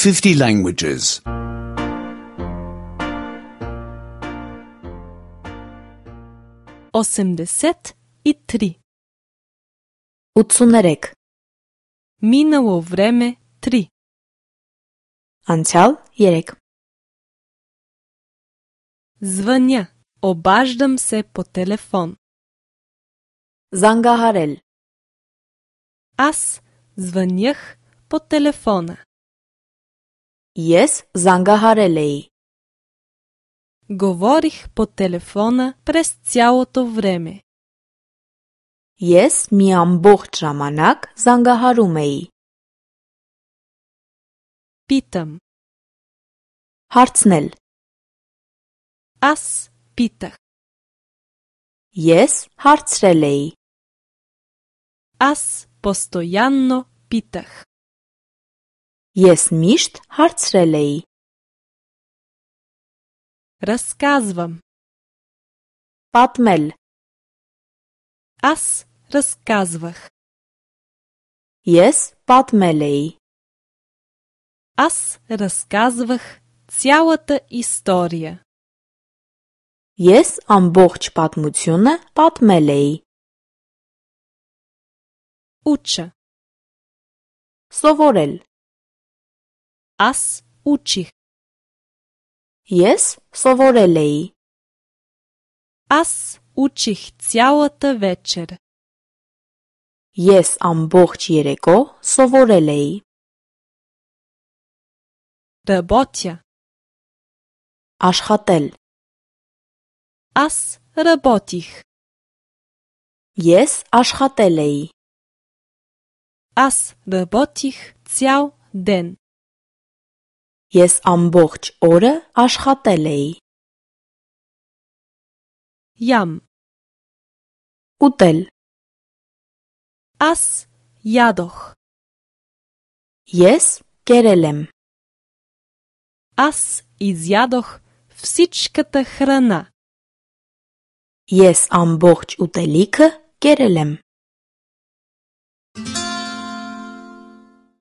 50 languages. 83. 83. Минало време 3. Անցյալ 3. Звъня. Обаждам се по телефон. Զանգահարել. Аз звънях по телефона. Ես զանգահարել էի. Говорих по телефона през цялото време. Ես մի ամբողջ ժամանակ զանգահարում էի. Питам. Հարցնել. Аз питах. Ես հարցրել էի. Аз постоянно питах. Ես միշտ հարցրել էի. Разказвам. Պատմել. Аз разказвах. Ես պատմել էի. Аз разказвах цялата история. Ես ամբողջ պատմությունը պատմել էի. Уча. Սովորել. Аз учих. Ես սովորել էի. Аз учих цялата вечер. Ես ամբողջ երեկո սովորել էի. Работя. Աշխատել. Аз работих. Ես աշխատել էի. Аз работих цял ден. Ես ամբողջ օրը աշխատել էի. Ям. Ուտել. Аз ядох. Ես կերել եմ. Аз изядох всичката храна. Ես ամբողջ ուտելիքը կերել եմ.